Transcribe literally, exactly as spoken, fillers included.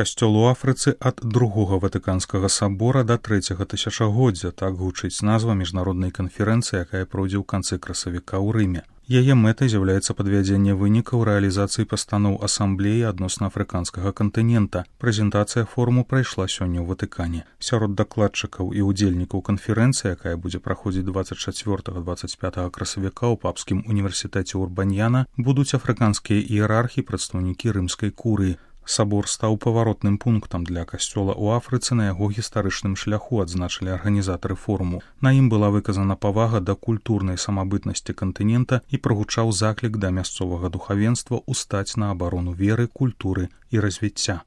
Касцёл у Афрыцы ад другога ватыканскага сабора да трэцяга тысячагоддзя, так гучыць назва міжнароднай канферэнцыі, якая пройдзе ў канцы красавіка ў Рыме. Яе мэтай з'яўляецца падвядзенне вынікаў рэалізацыі пастаноў асамблеі адносна афрыканскага кантынента. Прэзентацыя форуму прайшла сёння ў Ватыкане. Сярод дакладчыкаў і ўдзельнікаў канферэнцыі, якая будзе праходзіць дваццаць чацвёртага - дваццаць пятага красавіка ў папскім універсітэце Урбаньяна, будуць афрыканскія іерархі, прадстаўнікі рымскай курыі. Сабор стаў паваротным пунктам для касцёла ў Афрыцы на яго гістарычным шляху, адзначылі арганізатары форуму. На ім была выказана павага да культурнай самабытнасці кантынента і прагучаў заклік да мясцовага духавенства ўстаць на абарону веры, культуры і развіцця.